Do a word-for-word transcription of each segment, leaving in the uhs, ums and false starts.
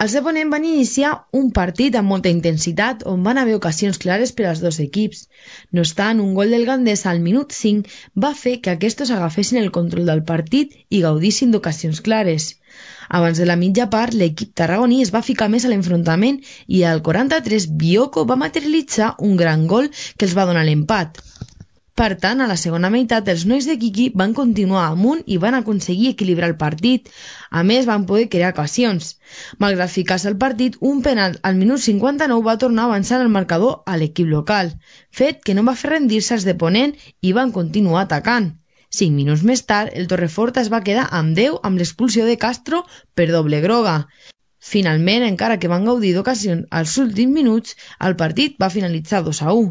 Els de Ponent van iniciar un partit amb molta intensitat on van haver ocasions clares per als dos equips. No obstant, un gol del Gandesa al minut cinc va fer que aquests agafessin el control del partit i gaudissin d'ocasions clares. Abans de la mitja part, l'equip tarragoní es va ficar més a l'enfrontament i al quaranta-tres Bioko va materialitzar un gran gol que els va donar l'empat. Per tant, a la segona meitat, els nois de Quiqui van continuar amunt i van aconseguir equilibrar el partit. A més, van poder crear ocasions. Malgrat ficar-se al partit, un penal al minut cinquanta-nou va tornar a avançar el marcador a l'equip local, fet que no va fer rendir-se els de Ponent i van continuar atacant. Cinc minuts més tard, el Torreforta es va quedar amb deu amb l'expulsió de Castro per doble groga. Finalment, encara que van gaudir d'ocasions als últims minuts, el partit va finalitzar dos a u.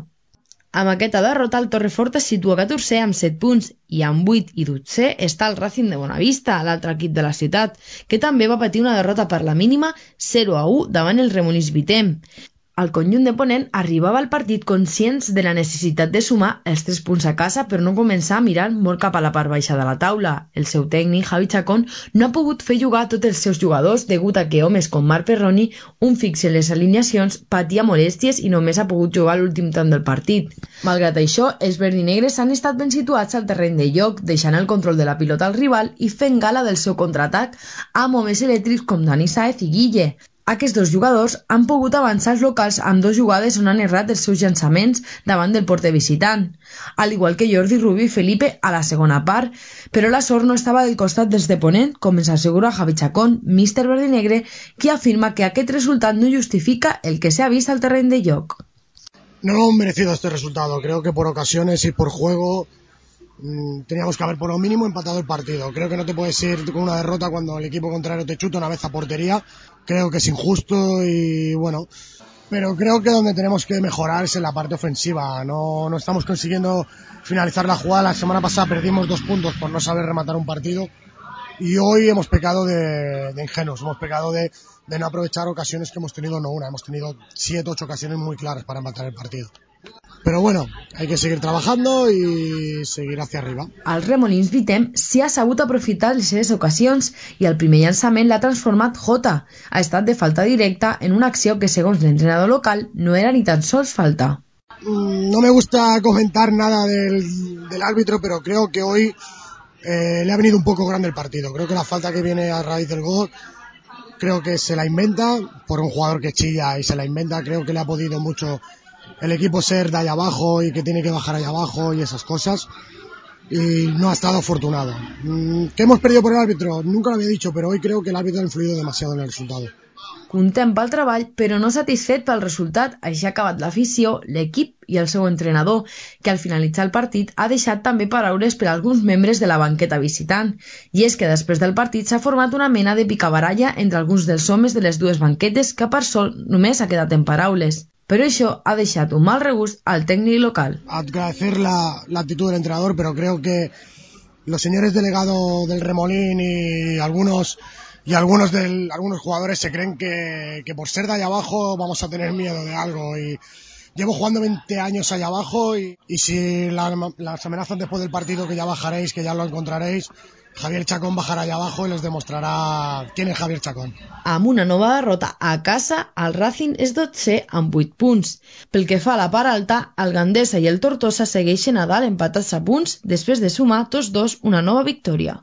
Amb aquesta derrota, el Torreforta es situa catorzè amb set punts i amb vuit i dotzè està el Racing de Bonavista, l'altre equip de la ciutat, que també va patir una derrota per la mínima zero a u davant el Remolins Vitem. El conjunt de Ponent arribava al partit conscients de la necessitat de sumar els tres punts a casa per no començar a mirar molt cap a la part baixa de la taula. El seu tècnic, Javi Chacón, no ha pogut fer jugar tots els seus jugadors degut a que homes com Marc Perroni, un fix en les alineacions, patia molèsties i només ha pogut jugar l'últim tant del partit. Malgrat això, els verdinegres han estat ben situats al terreny de joc, deixant el control de la pilota al rival i fent gala del seu contraatac amb homes elèctrics com Dani Sáez i Guille. Aquests dos jugadors han pogut avançar els locals amb dos jugades on han errat els seus llançaments davant del porter visitant, al igual que Jordi Rubio i Felipe a la segona part, però la sort no estava del costat dels de Ponent, com ens assegura Javi Chacón, míster verdinegre, qui afirma que aquest resultat no justifica el que s'ha vist al terreny de joc. No hemos merecido este resultado, creo que por ocasiones y por juego mmm, teníamos que haber por lo mínimo empatado el partido. Creo que no te puedes ir con una derrota cuando el equipo contrario te chuta una vez a portería. Creo que es injusto y bueno, pero creo que donde tenemos que mejorar es en la parte ofensiva. No, no estamos consiguiendo finalizar la jugada. La semana pasada perdimos dos puntos por no saber rematar un partido y hoy hemos pecado de, de ingenuos, hemos pecado de, de no aprovechar ocasiones que hemos tenido, no una, hemos tenido siete, ocho ocasiones muy claras para empatar el partido. Però bueno, hay que seguir trabajando y seguir hacia arriba. El Remolins Vitem s'hi ha sabut aprofitar les seves ocasions i el primer llançament l'ha transformat Jota. Ha estat de falta directa en una acció que, segons l'entrenador local, no era ni tan sols falta. No me gusta comentar nada del, del árbitro, pero creo que hoy eh, le ha venido un poco grande el partido. Creo que la falta que viene a raíz del gol, creo que se la inventa por un jugador que chilla y se la inventa. Creo que le ha podido mucho el equipo ser de allá abajo y que tiene que bajar allá abajo y esas cosas, y no ha estado afortunado. ¿Qué hemos perdido por el árbitro? Nunca lo había dicho, pero hoy creo que el árbitro ha influido demasiado en el resultado. Content pel treball, però no satisfet pel resultat, així ha acabat l'afició, l'equip i el seu entrenador, que al finalitzar el partit ha deixat també paraules per a alguns membres de la banqueta visitant. I és que després del partit s'ha format una mena de picabaralla entre alguns dels homes de les dues banquetes que per sol només ha quedat en paraules. Pero eso ha dejado un mal regust al técnico local. Agradecer la, la actitud del entrenador, pero creo que los señores delegados del Remolín y algunos y algunos del, algunos jugadores se creen que, que por ser de allá abajo vamos a tener miedo de algo. Y llevo jugando veinte años allá abajo y, y si la, las amenazan después del partido que ya bajaréis, que ya lo encontraréis, Javier Chacón bajarà allà abajo i les demostrarà quién es Javier Chacón. Amb una nova derrota a casa, el Racing és dotzè amb vuit punts. Pel que fa a la part alta, el Gandesa i el Tortosa segueixen a dalt empatats a punts després de sumar tots dos una nova victòria.